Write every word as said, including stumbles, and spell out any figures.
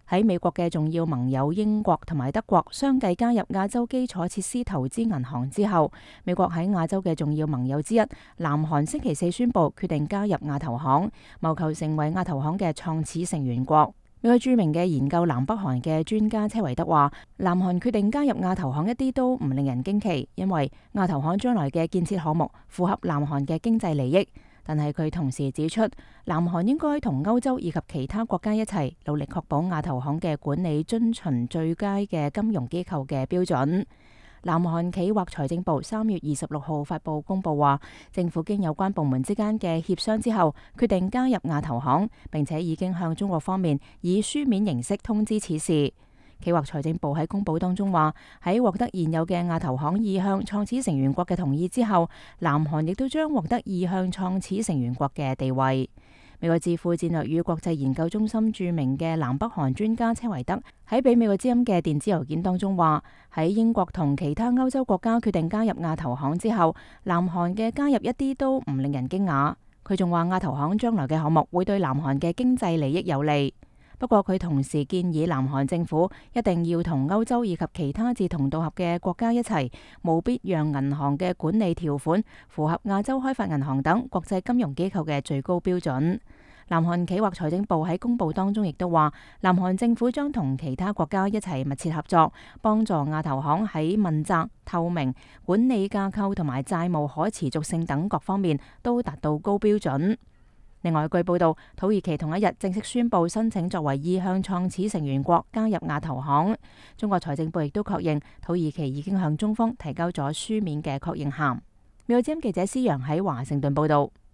喺美國嘅重要盟友英國同埋德國相繼加入亞洲基礎設施投資銀行之後，美國喺亞洲嘅重要盟友之一南韓星期四宣布決定加入亞投行，謀求成為亞投行嘅創始成員國。美國著名嘅研究南北韓嘅專家車維德話，南韓決定加入亞投行一啲都唔令人驚奇，因為亞投行將來嘅建設項目符合南韓嘅經濟利益。但係佢同時指出，南韓應該同歐洲以及其他國家一齊努力確保亞投行嘅管理遵循最佳嘅金融機構嘅標準。南韓企劃財政部三月二十六號發布公佈話，政府經有關部門之間嘅協商之後，決定加入亞投行，並且已經向中國方面以書面形式通知此事。企劃財政部喺公佈當中話，喺獲得現有嘅亞投行意向創始成員國嘅同意之後，南韓亦都將獲得意向創始成員國嘅地位。美國智庫戰略與國際研究中心著名嘅南北韓專家車維德喺俾美國之音嘅電子郵件當中話，喺英國同其他歐洲國家決定加入亞投行之後，南韓嘅加入一啲都唔令人驚訝。佢仲話亞投行將來嘅項目會對南韓嘅經濟利益有利。不過佢同時建議南韓政府一定要同歐洲以及其他志同道合嘅國家一齊，務必讓銀行嘅管理條款符合亞洲開發銀行等國際金融機構嘅最高標準。南韓企劃財政部喺公佈當中亦都話，南韓政府將同其他國家一齊密切合作，幫助亞投行喺問責、透明、管理架構同埋債務可持續性等各方面都達到高標準。另外，據報道，土耳其同一日正式宣布申請作為意向創始成員國加入亞投行。中國財政部亦都確認，土耳其已經向中方提交咗書面嘅確認函。美國之音記者施陽喺華盛頓報道。